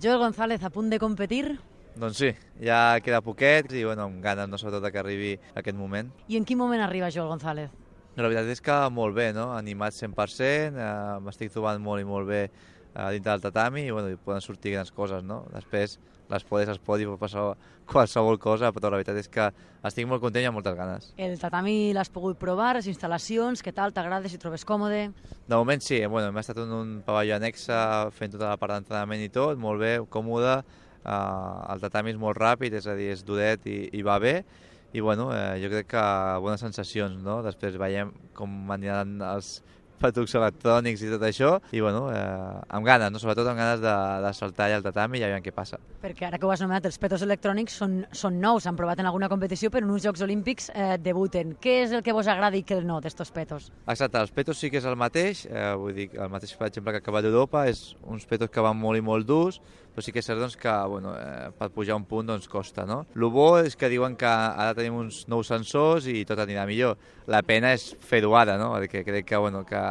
Joel González, a punt de competir? Doncs sí, ja queda poquet i bueno, amb ganes, no, sobretot que arribi aquest moment. I en quin moment arriba Joel González? La veritat és que molt bé, no? Animat 100%, m'estic trobant molt i molt bé dintre del tatami i bueno, poden sortir grans coses, no? Després les podes es pot i pot passar qualsevol cosa, però la veritat és que estic molt content i amb moltes ganes. El tatami l'has pogut provar, les instal·lacions, què tal, t'agrada, si et trobes còmode? De moment sí, bueno, hem estat en un pavelló annexe fent tota la part d'entrenament i tot, molt bé, còmode, el tatami és molt ràpid, és a dir, és duret i va bé, i bueno, jo crec que bones sensacions, no? Després veiem com aniran els petucs electrònics i tot això, i bueno, amb ganes, no? Sobretot amb ganes de saltar allà al tatami i aviam què passa. Perquè ara que ho has anomenat, els petos electrònics són nous, s'han provat en alguna competició, però en uns Jocs Olímpics debuten. Què és el que vos agrada i què no d'estos petos? Exacte, els petos sí que és el mateix, vull dir, el mateix, per exemple, que acaba d'Europa, és uns petos que van molt i molt durs, però sí que és cert doncs, que bueno, per pujar un punt doncs, costa. No? El bo és que diuen que ara tenim uns nous sensors i tot anirà millor. La pena és fer-ho ara, no? Perquè crec que, bueno, que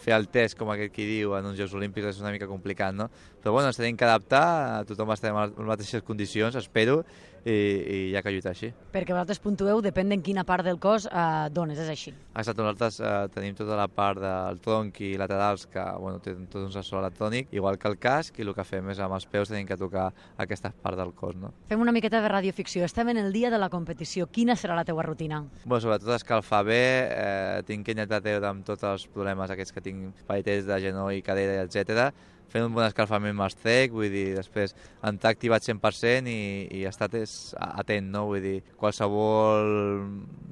fer el test, com aquest qui diu, en uns Jocs Olímpics és una mica complicat, no? Però bueno, ens tenim que adaptar, tothom estem en les mateixes condicions, espero, i hi ha que lluitar així. Perquè vosaltres puntueu, depèn en quina part del cos dones, és així. Exacte, nosaltres tenim tota la part del tronc i laterals que bueno, tenen tot un sensor electrònic, igual que el casc, i el que fem és amb els peus tenim que tocar aquesta part del cos. No? Fem una miqueta de radioficció. Estem en el dia de la competició. Quina serà la teua rutina? Bueno, sobretot escalfar bé, tinc que intentar treure amb tots els problemes aquests que tinc, pareters de genoll, cadera, etc. Fent un bon escalfament amb els trec, vull dir, després entrar activat 100% i estar atent, no? Vull dir, qualsevol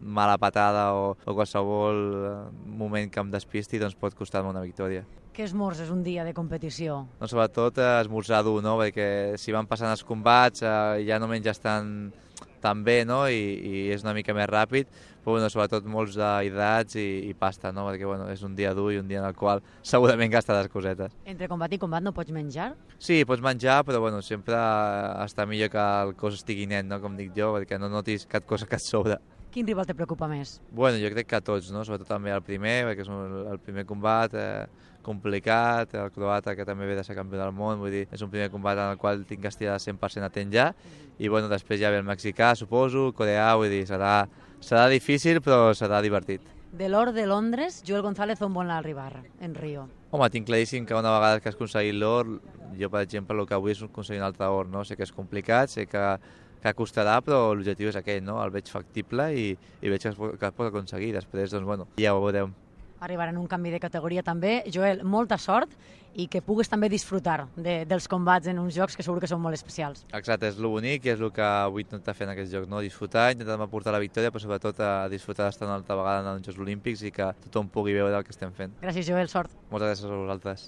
mala patada o qualsevol moment que em despisti doncs pot costar-me una victòria. Què esmorzes un dia de competició? Doncs sobretot esmorzar dur, no? Perquè si van passant els combats ja no menges tan bé, no? I és una mica més ràpid, però bueno, sobretot molts d'hidrats i pasta, no? Perquè bueno, és un dia dur i un dia en el qual segurament gastaràs cosetes. Entre combat i combat no pots menjar? Sí, pots menjar, però bueno, sempre està millor que el cos estigui net, no? Com dic jo, perquè no notis cap cosa que et sobra. Quin rival te preocupa més? Bueno, jo crec que a tots, no? Sobretot també el primer, perquè és el primer combat, complicat, el croata que també ve de ser campió del món, vull dir, és un primer combat en el qual tinc que estar 100% atent ja, i bueno, després ja ve el mexicà, suposo, el coreà, vull dir, serà difícil però serà divertit. De l'or de Londres, Joel González on vol arribar en Rio? Home, tinc claríssim que una vegada que has aconseguit l'or, jo per exemple el que vull és aconseguir un altre or, no? Sé que és complicat, sé que costarà, però l'objectiu és aquell, no? El veig factible i veig que es pot aconseguir. Després, doncs, bueno, ja ho veurem. Arribarà en un canvi de categoria també. Joel, molta sort i que pugues també disfrutar dels combats en uns jocs que segur que són molt especials. Exacte, és el bonic i és el que vull intentar fer en aquests jocs, no? Disfrutar, intentar portar la victòria, però sobretot disfrutar d'estar una altra vegada en els Jocs Olímpics i que tothom pugui veure el que estem fent. Gràcies, Joel, sort. Moltes gràcies a vosaltres.